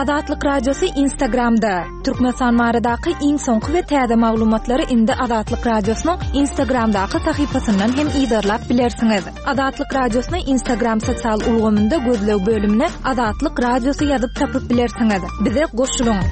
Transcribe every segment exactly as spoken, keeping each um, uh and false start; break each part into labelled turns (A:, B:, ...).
A: Azatlyk Radiosy Instagramda. Türkmenistan baradaky iň soňky we täze maglumatlary indi Azatlyk Radiosynyň Instagramdaky sahypasyndan hem yzarlap bilersiňiz. Azatlyk Radiosyny Instagram sosial ulgamynda gözleg bölümine Azatlyk Radiosy ýazyp tapyp bilersiňiz. Bize goşulyň.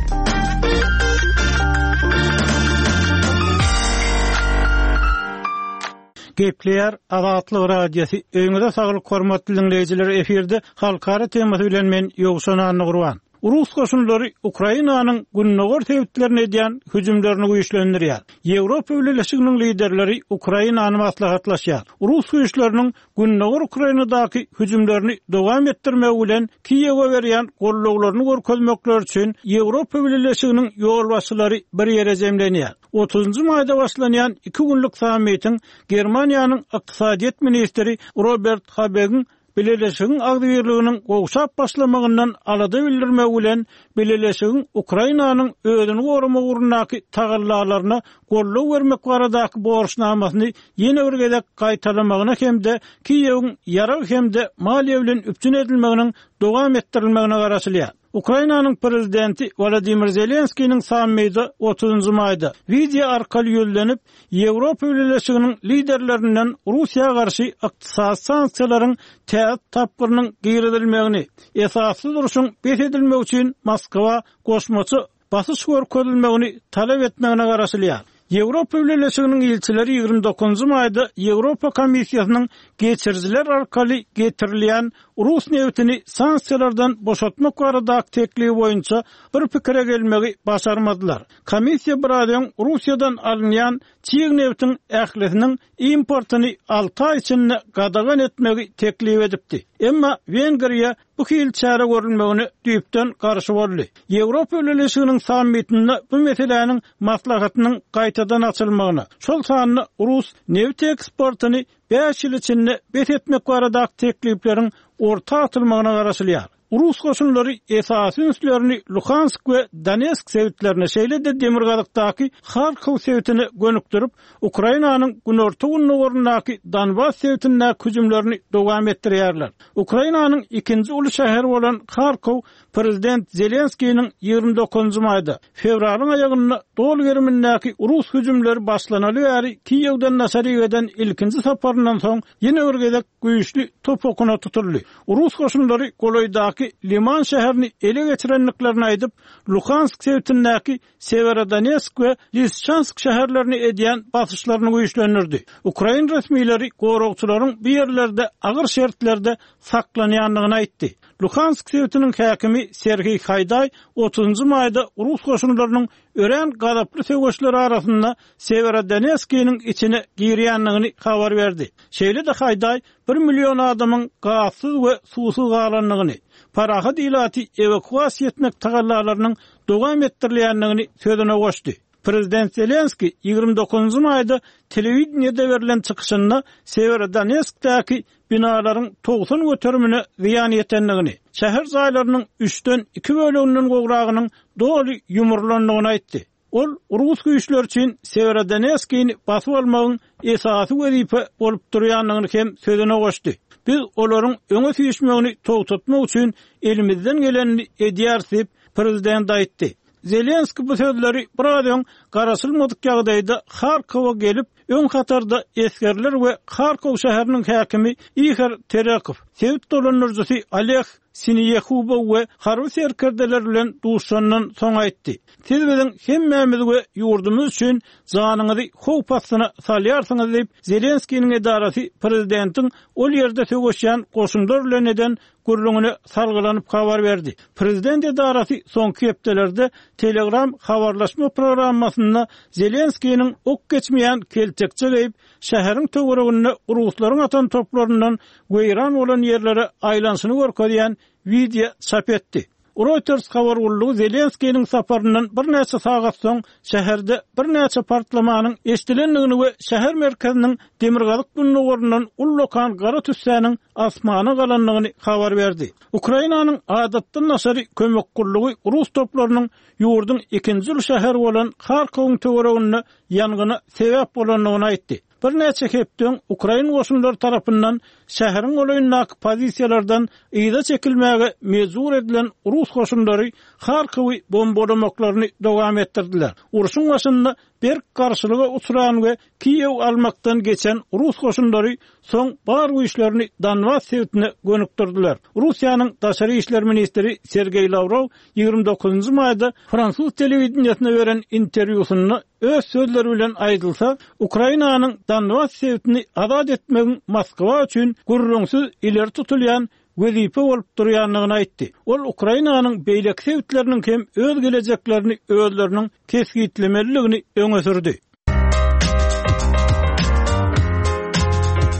B: Gepleýär Azatlyk Radiosy. Öýüňize saglyk hormatly diňleýjiler efirde halkara temasy bilen men Ýowşan Annagurban. Rus goşunlary Ukrainanyň gündogar sebitlerine edýän hüjümlerini güýçlendirýär. Ýewropa Bileleşiginiň liderleri Ukrainany maslahatlaşýar. Rus güýçleriniň gündogar Ukrainadaky hüjümlerini dowam etdirmegi bilen Kiýewe berýän gollawlaryny görkezmekleri üçin Ýewropa Bileleşiginiň ýolbaşçylary bir ýere jemlenýär. Otuzynjy maýda başlanýan iki günlük sammitiň Germaniýanyň ykdysadyýet ministri Robert Habegiň Bileleşigiň agzybirliginiň gowşap başlamagyndan alada bildirmegi bilen Bileleşigiň Ukrainanyň özüni goramak ugrundaky tagallalaryna goldaw bermek baradaky borçnamasyny ýene bir gezek gaýtalamagyna hem-de Kiýewiň ýarag hem-de maliýe bilen üpjün edilmeginiň dowam etdirilmegine garaşylýar. Ukrainanyň prezidenti Wolodymyr Zelenskiniň sammiti otuzynjy maýda wideo arkaly ýüzlenip, Ýewropa Bileleşiginiň liderlerinden Russiýa garşy ykdysady sanksiýalaryň täze tapgyrynyň girizilmegini, esassyz urşuň bes edilmegi üçin Moskwa goşmaça basyş görkezilmegini talap etmegine garaşylýar. Ýewropa Bileleşiginiň ilçileri ýigrimi dokuzynjy maýda Ýewropa Komissiýasynyň geçirijiler arkaly getirilýän rus nebitini sanksiýalardan boşatmak baradaky teklibi boýunça bir pikire gelmegi başarmadylar. Komissiýa biraz öň Russiýadan alynýan çig nebitiň ählisiniň importyny alty aý içinde gadagan etmegi teklip edipdi. Emma Wengriýa bu hili çäre görülmegine düýpden garşy boldy. Ýewropa Bileleşiginiň sammitinde bu meseläniň maslahatynyň gaýtadan açylmagyna, şol sanda rus nebit eksportyny bäş ýyl içinde bes etmek baradaky teklipleriň orta atylmagyna garaşylýar. Rus goşunlary esasy ünslerini Luhansk we Donetsk sebitlerine, şeýle-de demirgazykdaky Harkow sebitine gönükdirip, Ukrainanyň günorta-gündogaryndaky Donbas sebitindäki hüjümlerini dowam etdirýärler. Ukrainanyň ikinji uly şäheri bolan Harkow prezident Zelenskiniň ýigrimi dokuzynjy maýda, fewralyň aýagynda doly gerimindäki rus hüjümleri başlanaly bäri Kiýewden daşary eden ilkinji saparyndan soň ýene bir gezek güýçli top okuna tutuldy. Rus goşunlary golaýdaky Liman şäherini ele geçirendiklerini aýdyp, Luhansk sebitindäki Severodonetsk we Lisçansk şäherlerini edýän basyşlaryny güýçlendirdi. Ukrain resmileri goragçylaryň bu ýerlerde agyr şertlerde saklanýandygyny aýtdy. Luhansk sebitiniň häkimi Serhiý Haýdaý otuzynjy maýda rus goşunlarynyň örän gazaply söweşler arasynda Severodonetskiniň içine girýändigini habar berdi. Şeýle-de Haýdaý bir million adamyň gazsyz we suwsuz galandygyny, parahat ilaty ewakuasiýa etmek tagallalarynyň dowam etdirilýändigini sözüne goşdy. Prezident Zelenski ýigrimi dokuzynjy maýda telewideniýede berlen çykyşynda Severodonetskdäki binalaryň togsan göterimine zyýan ýetendigini, şäher jaýlarynyň üçden iki böleginden gowragynyň doly ýumrulandygyny aýtdy. Ol rus güýçleri üçin Severodonetskini basyp almagyň esasy wezipe bolup durýandygyny hem sözüne goşdy. Biz olaryň öňe süýşmegini togtatmak üçin elimizden gelenini edýäris diýip, prezident aýtdy. Zelenski bu sözleri biraz öň garaşylmadyk ýagdaýda Harkowa gelip, öň hatarda esgerler we Harkow şäheriniň häkimi Ihor Terekow, sebit dolandyryjysy Oleg Sineýehubow we harby serkerdeler bilen duşandan soň aýtdy. Siz biziň hemmämiz we ýurdumyz üçin janyňyzy howp astyna salýarsyňyz diýip, Zelenskiniň edarasy prezidentiň ol ýerde söweşýän goşunlar bilen eden gürrüňine salgylanyp habar berdi. Prezident edarasy soňky hepdelerde Telegram habarlaşma programmasynda Zelenskiniň ok geçmeýän keltekçe geýip, şäheriň töwereginde ruslaryň atan toplaryndan weýran bolan ýerlere aýlanyşyny görkezýän wideo çap etdi. Reuters habar gullugy Zelenskiniň saparyndan birnäçe sagat soň şäherde birnäçe partlamanyň eşidilendigini we şäher merkeziniň demirgazyk-gündogaryndan ullakan gara tüssäniň asmana galandygyny habar berdi. Ukrainanyň adatdan daşary kömek gullugy rus toplarynyň ýurduň ikinji uly şäheri bolan Harkowyň töwereginde ýangyna sebäp bolandygyny aýtdy. Birnäçe hepde öň ukrain goşunlary tarapyndan şäheriň golaýyndaky pozisiýalardan yza çekilmäge mejbur edilen rus goşunlary Harkowy bombalamaklaryny dowam etdirdiler. Urşuň başynda berk garşylyga uçran we Kiýew almakdan geçen rus goşunlary soň bar güýçlerini Donbas sebitine gönükdirdiler. Russiýanyň daşary işler ministri Sergeý Lawrow ýigrimi dokuzynjy maýda fransuz telewideniýesine beren interwýusynda öz sözleri bilen aýdylsa, Ukrainanyň Donbas sebitini azat etmegiň Moskwa üçin gürrüňsiz ileri tutulýan wezipe bolup durýandygyny aýtdy. Ol Ukrainanyň beýleki sebitleriniň hem öz gelejeklerini özleriniň kesgitlemelidigini öňe sürdi.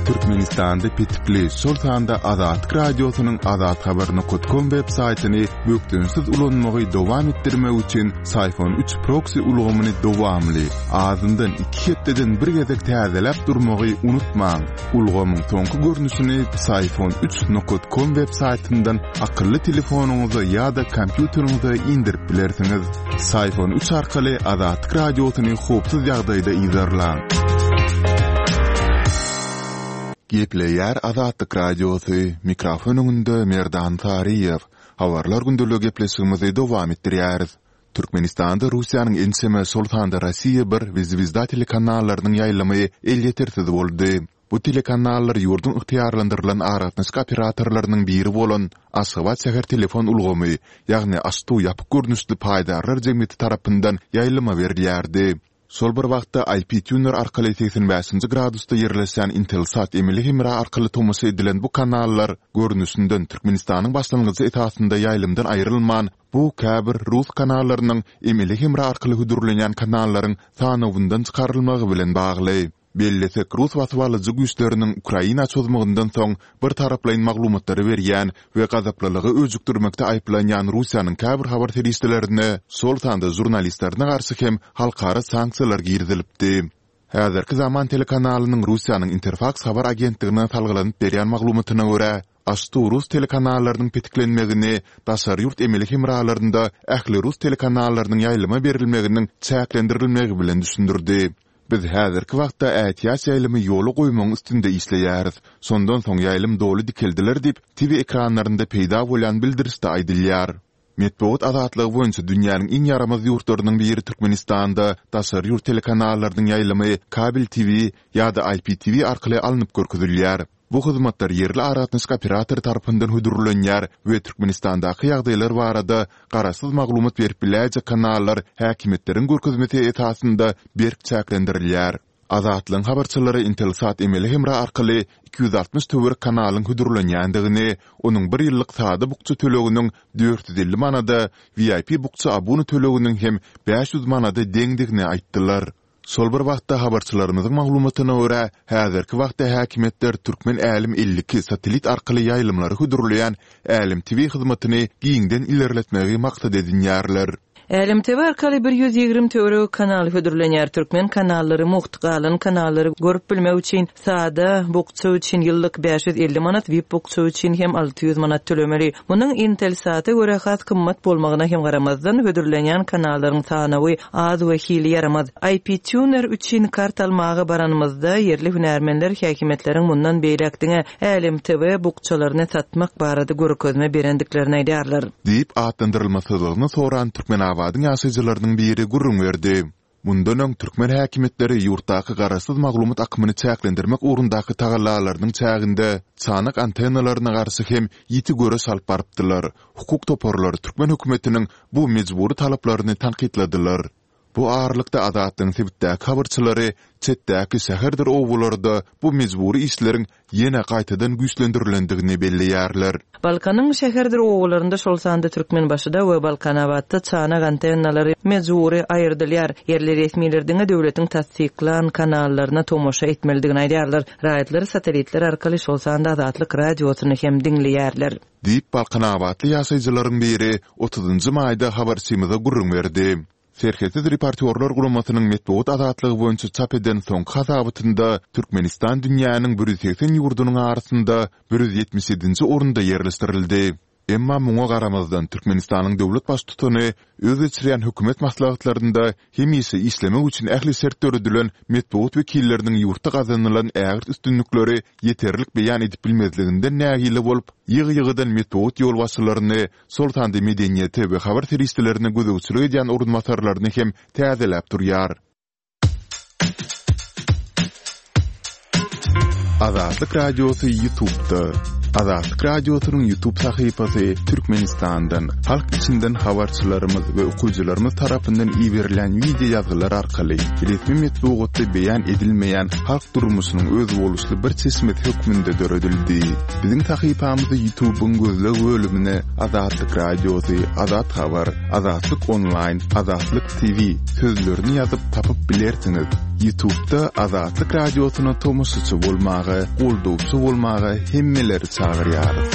C: Türkmenistanda petikli, şol sanda Azatlyk Radiosynyň azathabar nokta com web saýtyny bökdençsiz ulanmagy dowam etdirmek üçin Syfon üç proksi ulgamyny dowamly, azyndan iki hepdeden bir gezek täzeläp durmagy unutmaň. Ulgamyň soňky görnüşini Syfon üç nokta com web saýtyndan akylly telefonyňyza ýa-da kompýuteriňize indirip bilersiňiz. Syfon üç arkaly Azatlyk Radiosyny howpsuz ýagdaýda yzarlaň. Gepleýär Azatlyk Radiosy, mikrofon öňünde Merdan Saryýew. Habarlar gündeligi gepleşigimizi dowam etdirýäris. Türkmenistanda Russiýanyň ençeme, şol sanda Rossiýa bir we Zvezda telekanallarynyň ýaýlymy elýetersiz boldy. Bu telekanallar ýurduň ygtyýarlandyrylan aragatnaşyk operatorlarynyň biri bolan Aşgabat şäher telefon ulgamy, ýagny AŞTU ýapyk görnüşli paýdarlar jemgyýeti tarapyndan ýaýlyma berilýärdi. Şol bir wagtda I P Tuner arkaly segsen bäşinji gradusda ýerleşen Intelsat emeli hemra arkaly tomaşa edilen bu kanallar görnüşinden Türkmenistanyň başlangyjy esasynda ýaýlymdan aýrylman, bu käbir rus kanallarynyň emeli hemra arkaly hödürlenýän kanallaryň sanawyndan çykarylmagy bilen bagly. Bellesek, rus basybalyjy güýçleriniň Ukraina çozmagyndan soň bir taraplaýyn maglumatlary berýän we gazaplylygy öjükdirmekde aýyplanýan Russiýanyň käbir habar serişdelerine, şol sanda žurnalistlerine garşy hem halkara sanksiýalar girizilipdi. Häzirki zaman telekanalynyň Russiýanyň Interfaks habar agentligine salgylanyp berýän maglumatyna görä, AŞTU rus telekanallarynyň petiklenmegini daşary ýurt emeli hemralarynda ähli rus telekanallarynyň ýaýlyma berilmeginiň çäklendirilmegi bilen düşündirdi. Biz häzirki wagtda ätiýaç ýaýlymy ýola goýmagyň üstünde işleýäris. Şondan soň ýaýlym doly dikeldiler diýip, T V ekranlarynda peýda bolýan bildirişde aýdylýar. Metbugat azatlygy boýunça dünýäniň iň ýaramaz ýurtlarynyň biri Türkmenistanda daşary ýurt telekanallarynyň ýaýlymy kabel T V ýa-da I P T V arkaly alnyp görkezilýär. Bu hyzmatlar ýerli aragatnaşyk operatory tarapyndan hödürlenýär we Türkmenistandaky ýagdaýlar barada garaşsyz maglumat berip biläýjek kanallar häkimiýetleriň görkezmesi esasynda berk çäklendirilýär. Azatlygyň habarçylary Intelsat emeli hemra arkaly iki ýüz altmyş töwerek kanalyň hödürlenýändigini, onuň bir ýyllyk sada bukja töleginiň dört ýüz elli manada, V I P bukja abuna töleginiň hem bäş ýüz manada deňdigini aýtdylar. Şol bir wagtda habarçylarymyzyň maglumatyna görä, häzirki wagtda häkimiýetler Türkmen Älem elli iki satellit arkaly ýaýlymlary hödürleýän Älem T V hyzmatyny giňden ilerletmegi maksat edinýärler.
D: Älem T V arkaly bir ýüz ýigrimi töweregi kanal hödürlenýär. Türkmen kanallary mugt, galan kanallary görüp bilmek üçin sada bukja üçin ýyllyk bäş ýüz elli manat, V I P bukja üçin hem alty ýüz manat tölemeli. Munuň Intelsata görä has gymmat bolmagyna hem garamazdan hödürlenýän kanallaryň sanawy az we hili ýaramaz. I P Tuner üçin kart almaga baranymyzda ýerli hünärmenler häkimiýetleriň mundan beýläk diňe Älem T V bukjalaryny satmak barada görkezme berendiklerini aýdýarlar.
C: Diýip atlandyrylmasyzlygyny soran Türkmenabadyň ýaşaýjylarynyň biri gürrüň berdi. Mundan öň türkmen häkimiýetleri ýurtdaky garaşsyz maglumat akymyny çäklendirmek ugrundaky tagallalarynyň çäginde çanak antennalaryna garşy hem ýiti göreş alyp barypdylar. Hukuk toparlary türkmen hökümetiniň bu mejbury talaplaryny tankytladylar. Bu aralykda Azatlygyň sebitdäki habarçylary çetdäki şäherdir obalarda bu mejbury işleriň ýene gaýtadan güýçlendirilendigini belleýärler.
D: Balkanyň şäherdir obalarynda şol sanda Türkmenbaşyda we Balkanabatda çanak antennalary mejbury aýyrdylýar. Ýerli resmiler diňe döwletiň tassyklan kanallaryna tomaşa etmelidigini aýdýarlar. Raýatlar satellitler arkaly şol sanda Azatlyk radiosyny hem diňleýärler.
C: Diýip Balkanabatly ýaşaýjylaryň biri otuzynjy maýda habarçymyza gürrüň berdi. Serhetsiz reportýorlar guramasynyň metbugat azatlygy boýunça çap eden soňky hasabatynda Türkmenistan dünýäniň bir ýüz segsen ýurdunyň arasynda bir ýüz ýetmiş ýedinji orunda ýerleşdirildi. Emma muňa garamazdan, Türkmenistanyň döwlet baştutany öz geçirýän hökümet maslahatlarynda hemişe işlemek üçin ähli şert döredilen metbugat wekilleriniň ýurtda gazanylan ägirt üstünlikleri ýeterlik beýan edip bilmezliginden nägile bolup, ýygy-ýygydan metbugat ýolbaşçylaryny, şol sanda medeniýete we habar serişdelerine gözegçilik edýän orunbasarlaryny hem täzeläp durýar. Azatlyk Radiosy YouTube'da. Azatlyk Radiosynyň YouTube sahypasy Türkmenistandan, halk içinden habarçylarymyz we okyjylarymyz tarapyndan iberilen wideo ýazgylar arkaly resmi metbugatda beýan edilmeýän halk durmuşynyň özboluşly bir çeşmesi hökmünde döredildi. Biziň sahypamyzy YouTube'yň gözleg bölümine Azatlyk Radiosy, Azat Habar, Azatlyk Onlaýn, Azatlyk T V sözlerini ýazyp tapyp bilersiňiz. YouTube'da Azatlyk Radiosyna tomaşaçy bolmaga, goldawçy bolmaga hemmeleri çagyrýarys.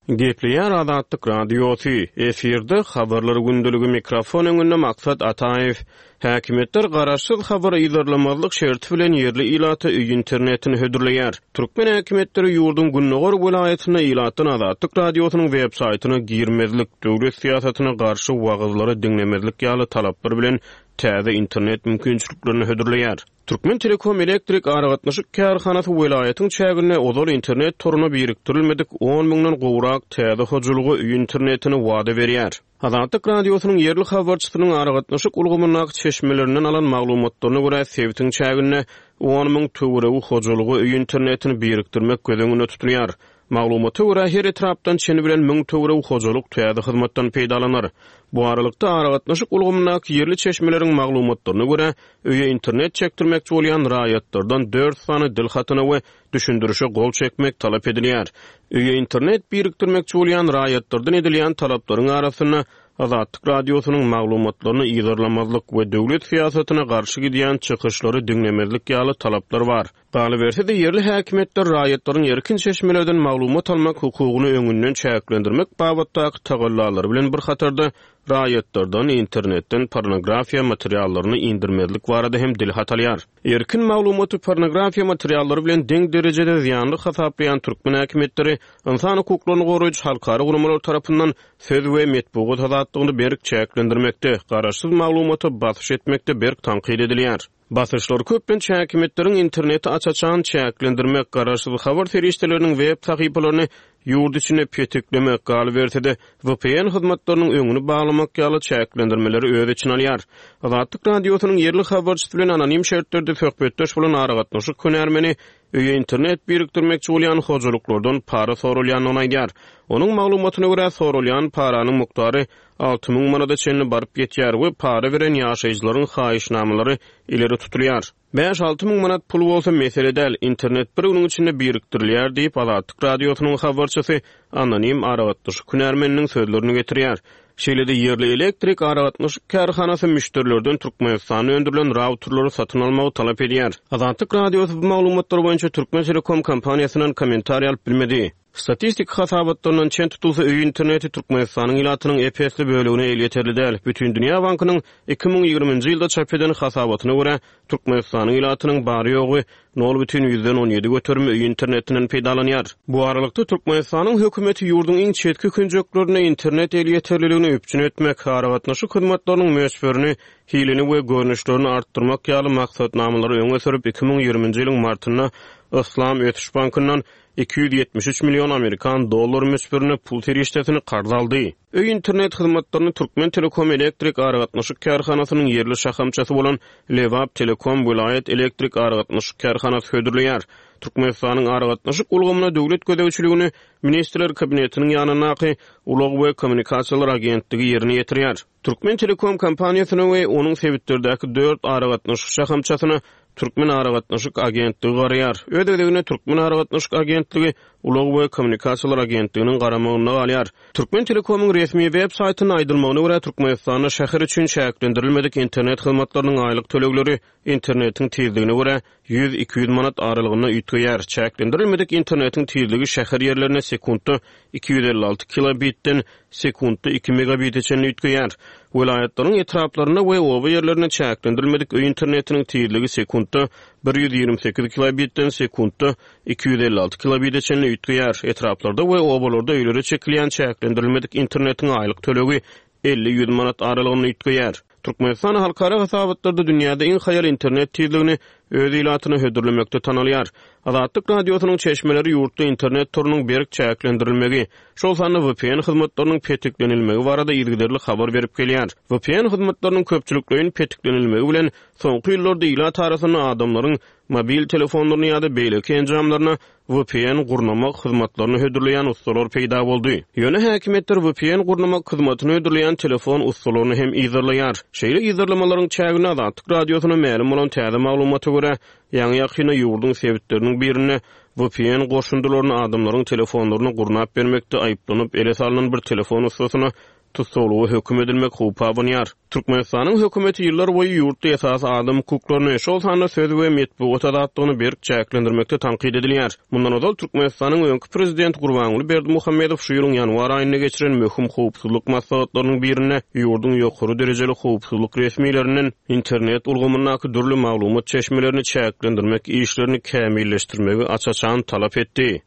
E: Gepleýär Azatlyk Radiosy. Efirde habarlar gündeligi, mikrofon öňünde Maksat Ataýew. Häkimiýetler garaşsyz habar yzarlamazlyk şerti bilen ýerli ilata öý internetini hödürleýär. Türkmen häkimiýetleri ýurduň gündogar welaýatynda ilatdan Azatlyk Radiosynyň web saýtyna girmezlik, döwlet syýasatyna garşy wagyzlary diňlemezlik ýaly talaplar bilen täze internet mümkinçiliklerini hödürleýär. Türkmen Telekom elektrik aragatnaşyk kärhanasy welaýatyň çäginde ozal internet toruna birikdirilmedik on müňden gowrak täze hojalyga öý internetini wada berýär. Azatlyk Radiosynyň ýerli habarçysynyň aragatnaşyk ulgamyndaky çeşmelerinden alan maglumatlaryna görä, sebitiň çäginde on müň töweregi hojalyga öý internetini birikdirmek göz öňünde tutulýar. Maglumata görä, her etrapdan çeni bilen müň töweregi hojalyk täze hyzmatdan peýdalanar. Bu aralykda aragatnaşyk ulgamyndaky ýerli çeşmeleriň maglumatlaryna görä, öýe internet çekdirmekçi bolýan raýatlardan dört sany dil hatyna we düşündirişe gol çekmek talap edilýär. Öýe internet birikdirmekçi bolýan raýatlardan edilýän talaplaryň arasynda Azatlyk Radiosynyň maglumatlaryny yzarlamazlyk we döwlet syýasatyna garşy gidýän çykyşlary diňlemezlik ýaly talaplar bar. Galyberse-de, ýerli häkimiýetler raýatlaryň erkin çeşmelerden maglumat almak hukugyny öňünden çäklendirmek babatdaky tagallalary bilen bir hatarda raýatlardan internetden pornografiýa materiallaryny indirmezlik barada hem dil hat alýar. Erkin maglumaty pornografiýa materiallary bilen deň derejede zyýanly hasaplaýan türkmen häkimiýetleri ynsan hukuklaryny goraýjy halkara guramalar tarapyndan söz we metbugat azatlygyny berk çäklendirmekde, garaşsyz maglumata basyş etmekde berk tankyt edilýär. Basyşlar köplenç häkimiýetleriň interneti aç-açan çäklendirmek, garaşsyz habar serişdeleriniň web sahypalaryny ýurt içinde petiklemek, galyberse-de V P N hyzmatlarynyň öňüni baglamak ýaly çäklendirmeleri öz içine alýar. Azatlyk Radiosynyň ýerli habarçysy bilen anonim şertlerde söhbetdeş bolan aragatnaşyk hünärmeni öýe internet birikdirmekçi bolýan hojalyklardan para sorulýandygyny aýdýar. Onuň maglumatyna görä, sorulýan paranyň mukdary alty müň manada çenli baryp ýetýär we para beren ýaşaýjylaryň haýyşnamalary ileri tutulýar. bäş alty müň manat pul bolsa mesele däl, internet bir günüň içinde birikdirilýär diýip, Azatlyk Radiosynyň habarçysy anonim aragatnaşyk hünärmeniniň sözlerini getirýär. Şeýle-de ýerli elektrik aragatnaşyk kärhanasy müşderilerden Türkmenistanda öndürilen routerlary satyn almagy talap edýär. Azatlyk Radiosy bu maglumatlar boýunça Türkmen Telekom kompaniýasyndan kommentariý alyp bilmedi. Statistik hasabatlaryndan çen tutulsa, öý interneti Türkmenistanyň ilatynyň ep-esli bölegine elýeterli däl. Bütindünýä Bankynyň iki müň ýigriminji ýylda çap eden hasabatyna görä, Türkmenistanyň ilatynyň bary ýogy nol bütin ýüzden on ýedi göterimi öý internetinden peýdalanýar. Bu aralykda Türkmenistanyň hökümeti ýurduň iň çetki künjeklerinde internet elýeterliligini üpjün etmek, aragatnaşyk hyzmatlarynyň möçberini, hilini we görnüşlerini artdyrmak ýaly maksatnamalary öňe sürüp, iki müň ýigriminji ýylyň martynda Yslam Ösüş Bankyndan iki ýüz ýetmiş üç million amerikan dollar möçberinde pul serişdesini karz aldy. Öý internet hyzmatlaryny Türkmen Telekom elektrik aragatnaşyk kärhanasynyň ýerli şahamçasy bolan Lebap Telekom welaýat elektrik aragatnaşyk kärhanasy hödürleýär. Türkmenistanyň aragatnaşyk ulgamyna döwlet gözegçiligini Ministrler Kabinetiniň ýanyndaky Ulag we kommunikasiýalar agentligi ýerine ýetirýär. Türkmen Telekom kompaniýasyna we onuň sebitlerdäki dört aragatnaşyk şahamçasyna Türkmen aragatnaşyk agentligi garaýar. Öz gezeginde Türkmen aragatnaşyk agentligi Ulag we kommunikasiýalar agentliginiň garamagynda galýar. Türkmen Telekomyň resmi web saýtynda aýdylmagyna görä, Türkmenistanda şäher üçin çäklendirilmedik internet hyzmatlarynyň aýlyk tölegleri internetiň tizligine görä ýüz iki ýüz manat aralygynda üýtgeýär. Çäklendirilmedik internetiň tizligi şäher ýerlerinde sekuntda iki ýüz elli alty kilobitden sekuntda iki megabite çenli üýtgeýär. Welaýatlaryň etraplarynda we oba ýerlerinde çäklendirilmedik öý internetiniň tizligi sekuntda sekuntda bir ýüz ýigrimi sekiz kilobitden sekuntda iki ýüz elli alty kilobite çenli üýtgeýär. Etraplarda we obalarda öýlere çekilýän çäklendirilmedik internetiň aýlyk tölegi elli ýüz manat aralygynda üýtgeýär. Türkmenistan halkara hasabatlarda dünýäde iň haýal internet tizligini öz ilatyna hödürlemekde tanalýar. Azatlyk radiosynyň çeşmeleri ýurtda internet torunyň berk çäklendirilmegi, şol sanda V P N hyzmatlarynyň petiklenilmegi barada yzygiderli habar berip gelýär. V P N hyzmatlarynyň köpçülikleýin petiklenilmegi bilen soňky ýyllarda ilat arasynda adamlaryň mobil telefonlaryny ýa-da beýleki enjamlaryna V P N gurnamak hyzmatlaryny hödürleýän ustalar peýda boldy. Ýöne häkimiýetler V P N gurnamak hyzmatyny hödürleýän telefon ustalaryny hem yzarlaýar. Şeýle yzarlamalaryň çäginde Azatlyk radiosyna mälim bolan täze maglumata görä, ýaňy ýakynda ýurduň sebitleriniň birinde V P N goşundylaryny adamlaryň telefonlaryny gurnap bermekde aýyplanyp ele salynan bir telefon ustasyna tussaglyga höküm edilmek howpy abanýar. Türkmenistanyň hökümeti ýyllar boýy ýurtda esasy adam hukuklaryny, şol sanda söz we metbugat azatlygyny berk çäklendirmekde tankyt edilýär. Mundan ozal Türkmenistanyň öňki prezidenti Gurbanguly Berdimuhamedow şu ýylyň ýanwar aýynda geçiren möhüm howpsuzlyk maslahatlarynyň birinde ýurduň ýokary derejeli howpsuzlyk resmilerinden internet ulgamyndaky dürli maglumat çeşmelerini çäklendirmek işlerini kämilleşdirmegi aç-açan talap etdi.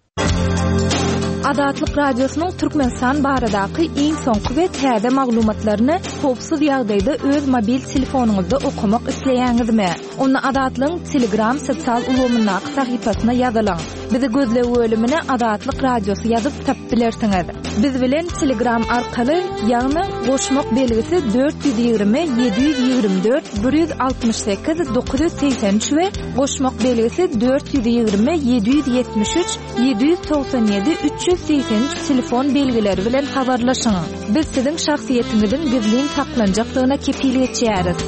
A: Azatlyk Radiosynyň Türkmenistan baradaky iň soňky we täze maglumatlaryny howpsuz ýagdaýda öz mobil telefonyňyzda okamak isleýäňizmi? Onda Azatlygyň Telegram sosial ulgamyndaky sahypasyna ýazylyň. Bizi gözleg bölümine Azatlyk Radiosy ýazyp tapyp bilersiňiz. Biz bilen Telegram arkaly, ýagny goşmak belgisi dört ýüz ýigrimi ýedi ýüz ýigrimi dört bir ýüz altmyş sekiz dokuz ýüz segsen üç we goşmak belgisi dört ýüz ýigrimi ýedi ýüz ýetmiş üç ýedi ýüz togsan ýedi üç ýüz segsen üç telefon belgileri bilen habarlaşyň. Biz siziň şahsyýetiňiziň gizlin saklanjakdygyna kepil geçýäris.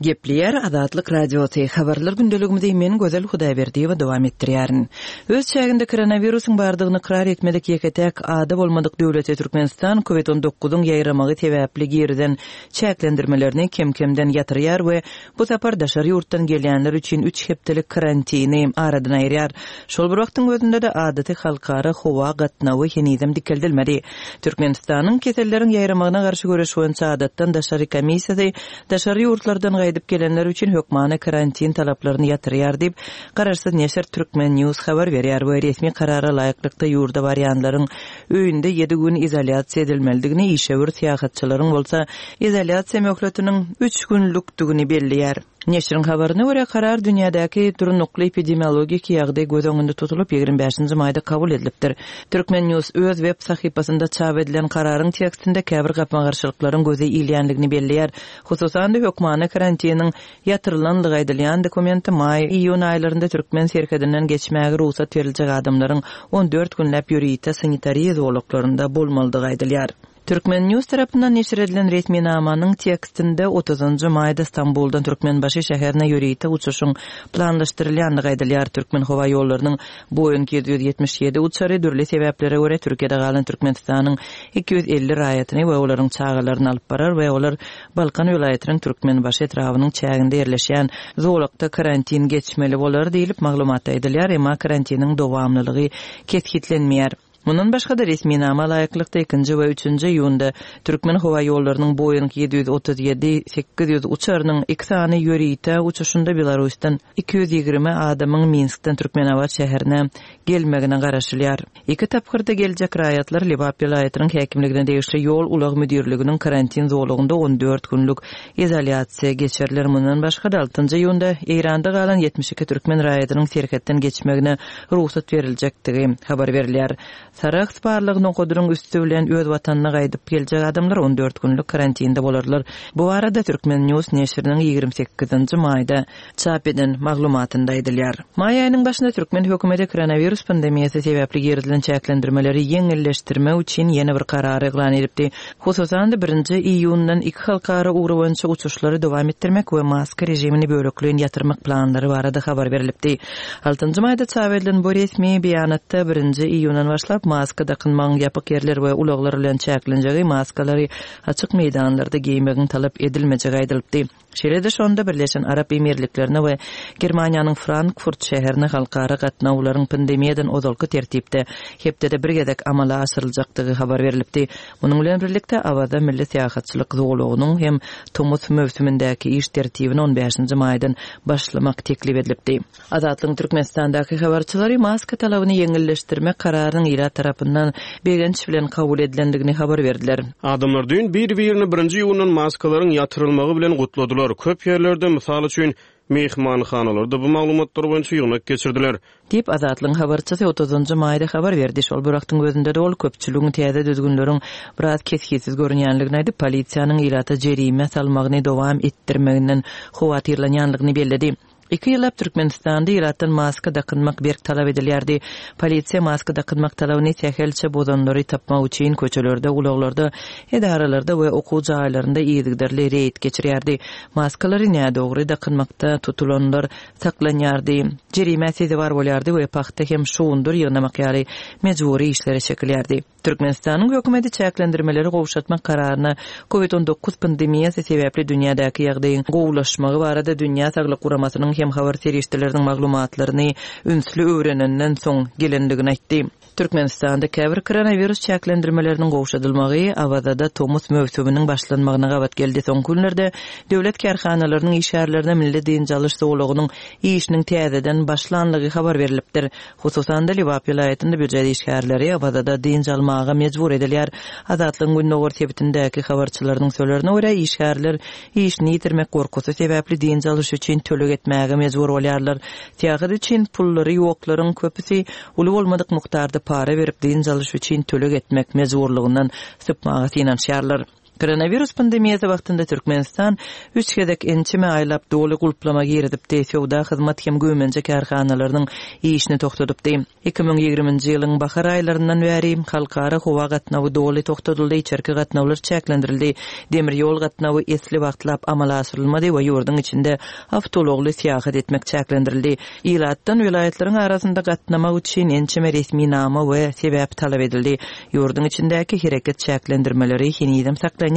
D: Gepleýär Azatlyk Radiosy habarlar gündeligimizi men Gözel Hudaýberdiýewa dowam etdirýärin. Öz çäginde koronawirusyň bardygyny ykrar etmedik ýeke-täk ada bolmadyk döwleti Türkmenistan COVID on dokuzyň ýaýramagy sebäpli girden çäklendirmelerini kem-kemden ýatyrýar we bu sapar daşary ýurtdan gelýänler üçin üç hepdelik karantini aradan aýyrýar. Şol bir wagtyň özünde de adaty halkara howa gatnawy henizem dikeldilmedi. Türkmenistanyň keselleriň ýaýramagyna garşy göreş boýunça adatdan daşary komissiýasy daşary ýurtlardan gaýdyp gelenler üçin hökmany karantin talaplaryny ýatyrýar diýip, Garaşsyz neşir Türkmen News habar berýär we resmi karara laýyklykda ýurda barýanlaryň öýünde ýedi gün izolýasiýa edilmelidigini, işewür syýahatçylaryň bolsa izolýasiýa möhletiniň üç günlükdigini belleýär. Neşiriň habaryna görä karar dünýädäki durnukly epidemiologik ýagdaý göz öňünde tutulyp ýigrimi bäşinji maýda kabul edilipdir. Türkmen News öz web sahypasynda çap edilen kararyň tekstinde käbir gapma-garşylyklaryň göze ilýänligini belleýär. Hususan-da hökmany karantiniň ýatyrylanlygy aýdylýan dokumenti maý iýun aýlarynda Türkmen serhedinden geçmäge rugsat beriljek adamlaryň on dört günläp ýörite sanitariýa zolaklarynda bolmalydygy aýdylýar. Türkmen News tarapyndan neşir edilen resminamanyň tekstinde otuzynjy maýda Stambuldan Türkmenbaşy şäherine ýörite uçuşyň planlaşdyrylýandygy aýdylýar. Türkmen howa ýollarynyň Boeing ýedi ýüz ýetmiş ýedi uçary dürli sebäplere görä Türkiýede galan Türkmenistanyň iki ýüz elli raýatyny we olaryň çagalaryny alyp barar we olar Balkan welaýatynyň Türkmenbaşy etrabynyň çäginde ýerleşýän zolakda karantin geçmeli bolar diýilip maglumatda aýdylýar, emma karantiniň dowamlylygy kesgitlenmeýär. Mundan başga da resminama laýyklykda ikinji we üçünji iýunda Türkmen howa ýollarynyň Boeing ýedi ýüz otuz ýedi sekiz ýüz uçarynyň iki sany ýörite uçuşynda Belarusdan iki ýüz ýigrimi adamyň Minskden Türkmenabat şäherine gelmegine garaşylýar. Iki tapgyrda geljek raýatlar Lebap welaýatynyň häkimligine degişli ýol ulag müdirliginiň karantin zolagynda on dört günlük izolýasiýa geçiriler. Mundan başga da altynjy iýunda Eýranda galan ýetmiş iki türkmen raýatynyň serhetden geçmegine rugsat beriljekdigi habar berilýär. Sarahs barlygyny okadyryň üstü bilen öz watanyna gaýdyp geljek adamlar on dört günlük karantinde bolarlar. Bu arada Türkmen News neşiriniň ýigrimi sekizinji maýda çap eden maglumatynda aýdylýar. Maý aýynyň başynda Türkmen hökümeti koronawirus pandemiýasy sebäpli girizilen çäklendirmeleri ýeňilleşdirmek üçin ýene bir karary yglan edipdi. Hususan-da birinji iýundan iki halkara ugry boýunça uçuşlary dowam etdirmek we maska rejimini bölekleýin ýatyrmak planlary barada habar berilipdi. Altynjy maýda çap edilen bu resmi beýanatda birinji iýundan başlap başlap, maska dakynmagyň ýapyk ýerler we ulaglar bilen çäklenjegi, maskalary açyk meýdanlarda geýmegiň talap edilmejegi aýdylypdy. Şeýle-de şonda Birleşen Arap Emirliklerine we Germaniýanyň Frankfurt şäherine halkara gatnawlaryň pandemiýadan ozalky tertipde hepdede bir gezek amala aşyryljakdygy habar berlipdi. Munuň bilen birlikde Awaza milli syýahatçylyk zolagynyň hem tomus möwsümindäki iş tertibini on bäşinji maýdan başlamak teklip edilipdi. Azatlygyň Türkmenistandaky habarçylary maska talabyny ýeňilleşdirmek kararynyň ilat tarapyndan begenç bilen kabul edilendigini habar berdiler.
E: Adamlar düýn bir-birini birinji iýundan maskalaryň ýatyrylmagy bilen gutladylar. Köp ýerlerde, mysal üçin, mehmanhanalarda bu maglumatlar boýunça ýygnak geçirdiler.
D: Diýip, Azatlygyň habarçysy otuzynjy maýda habar berdi. Şol bir wagtyň özünde-de ol köpçüligiň täze düzgünleriň biraz kesgitsiz görünýänligini aýdyp, polisiýanyň ilata jerime salmagyny dowam etdirmeginden howatyrlanýanlygyny belledi. Iki ýyllap Türkmenistanda ilatdan maska dakynmak berk talap edilýärdi. Polisiýa maska dakynmak talabyny sähelçe bozanlary tapmak üçin köçelerde, ulaglarda, edaralarda we okuw jaýlarynda yzygiderli reýd geçirýärdi. Maskalary nädogry dakynmakda tutulanlar saklanýardy. Jerime sezewar bolýardy we pagta hem şugundyr ýygnamak ýaly mejbury işlere çekilýärdi. Türkmenistanyň hökümeti çäklendirmeleri gowşatmak kararyna COVID on dokuz pandemiýasy sebäpli dünýädäki ýagdaýyň gowulaşmagy barada Dünýä Saglyk Guramasynyň hem habar serişdeleriniň maglumatlaryny ünsli öwrenenden soň gelendigini aýtdy. Türkmenistanda käbir koronawirus çäklendirmeleriniň gowşadylmagy Awazada tomus möwsüminiň başlanmagyna gabat geldi. Soňky günlerde döwlet kärhanalarynyň işgärlerine milli dynç alyş zolagynyň işiniň täzeden başlanlygy habar berilipdir. Hususan-da Lebap welaýatynda býujet işgärleri Awazada dynç almaga mejbur edilýär. Azatlygyň Gündogar sebitindäki habarçylarynyň sözlerine görä işgärler işini ýitirmek gorkusy sebäpli dynç alyş üçin töleg etmäge mejbur bolýarlar. Syýahat üçin pullary ýoklaryň köpüsi uly bolmadyk mukdarda para berip dynç alyş üçin töleg etmek mejburlygyndan sypmaga synanyşýarlar. Koronavirus pandemiýasy wagtynda Türkmenistan üç gezek ençeme aýlap doly gulplama girizipdi. Söwda hyzmat hem güýmenje kärhanalarynyň işini togtadypdy. Iki müň ýigriminji ýylyň bahar aýlaryndan bäri halkara howa gatnawy doly togtadyldy, içerki gatnawlar çäklendirildi. Demir ýol gatnawy esli wagtlap amala aşyrylmady we ýurduň içinde awtoulagly syýahat etmek çäklendirildi. Ilatdan welaýatlaryň arasynda gatnamak üçin ençeme resminama we sebäp talap edildi. Ýurduň içindäki hereket çäklendirmeleri henizem saklanýar.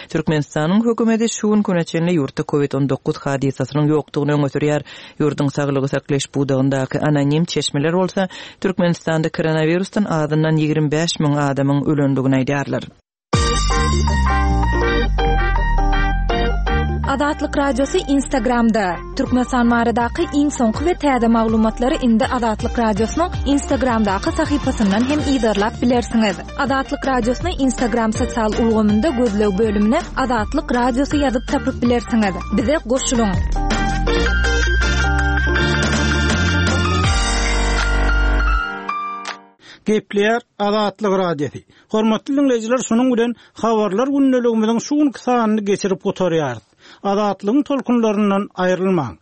D: Türkmenistanyň hökümeti şu gün güne çenli ýurtda COVID on dokuz hadysasynyň ýokdugyny öňe sürýär. Ýurduň saglygy saklaýyş pudagyndaky anonim çeşmeler bolsa Türkmenistanda koronavirusdan azyndan ýigrimi bäş müň adamyň ölendigini aýdýarlar.
A: Azatlyk Radiosy Instagramda. Türkmenistan baradaky iň soňky we täze maglumatlary indi Azatlyk Radiosynyň Instagramdaky sahypasyndan hem yzarlap bilersiňiz. Azatlyk Radiosyny Instagram sosial ulgamynda gözleg bölümine Azatlyk Radiosy ýazyp tapyp bilersiňiz. Bize goşulyň.
B: Gepleýär Azatlyk Radiosy. Hormatly dinleýjiler, şunuň bilen habarlar gündeligimiziň şu günki sanyny geçirip gutarýarys. Azatlygyň tolkunlaryndan aýrylmaň.